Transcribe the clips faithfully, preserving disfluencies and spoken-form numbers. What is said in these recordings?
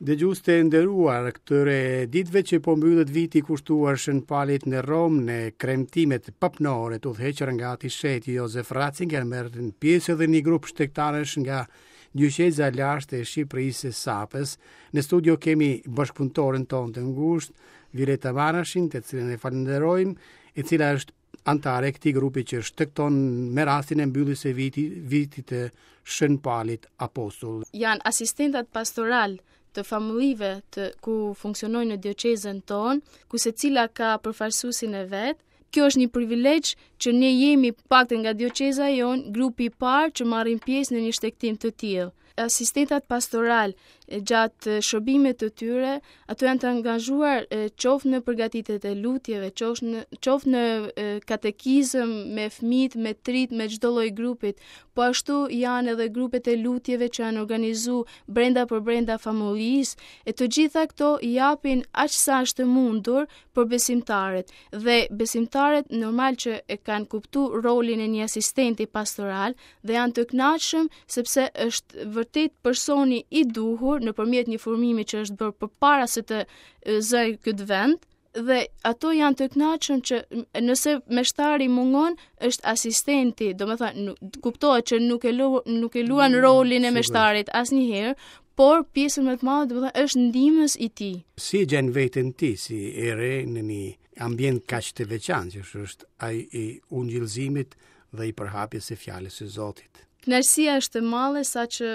Dëgjues të nderuar, këtyre ditëve që po mbyllet viti kushtuar Shën Palit në Romë në kremtimet papnore të udhëhequra nga Ati Shenjti Josef Ratzinger merrnin pjesë edhe një grup shtegtarësh nga dioqeza e lashtë e Shqipërisë së Sapës. Në studio kemi bashkëpunëtoren tonë të ngushtë, Violeta Marashin, të cilën e falënderojmë, e cila është anëtare e këtij grupi që shtegton me rastin e mbylljes së viti, vitit të Shën Palit Apostull. Janë asistentat pastoral të famullive të ku funksionojnë në dioqezën tonë, ku secila ka përfaqësuesin e vet. Kjo është një privilegj që ne jemi paktën nga dioqeza jonë, grupi i parë që marrin pjesë në një shtegtim të tillë. Asistentat pastoral gjatë shërbimit të tyre, ato janë të angazhuar qoftë në përgatitjet e lutjeve, qoftë në qoftë në katekizëm me fëmijët, me trit, me çdo lloj grupit. Po ashtu janë edhe grupet e lutjeve që janë organizu brenda për brenda famullisë, e të gjitha këto japin aq sa është e mundur për besimtarët. Dhe besimtarët normal që e kanë kuptu rolin e një asistenti pastoral dhe janë të kënaqshëm sepse është vërtet personi i duhur nëpërmjet një formimi që është bërë përpara se të zëj këtë vend, dhe ato janë të kënaqshëm që nëse meshtari mungon, është asistenti, domethënë kuptohet që nuk e lu, nuk e luan rolin e meshtarit asnjëherë, por pjesën më të madhe, domethënë është ndihmës i tij. Si e gjen veten ti si e re në një ambient kaq të veçantë, që është ai i ungjillzimit dhe i përhapjes së fjalës së Zotit? Kënaqësia është e madhe sa që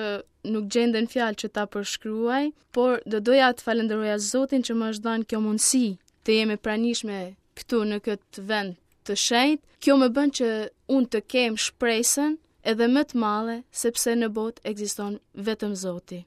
nuk gjenden fjalë që ta përshkruaj, por do doja të falenderoja Zotin që më është dhënë kjo mundësi të jem e pranishme këtu në këtë vend të shenjtë. Kjo më bën që unë të kem shpresën edhe më të madhe, sepse në botë ekziston vetëm Zoti.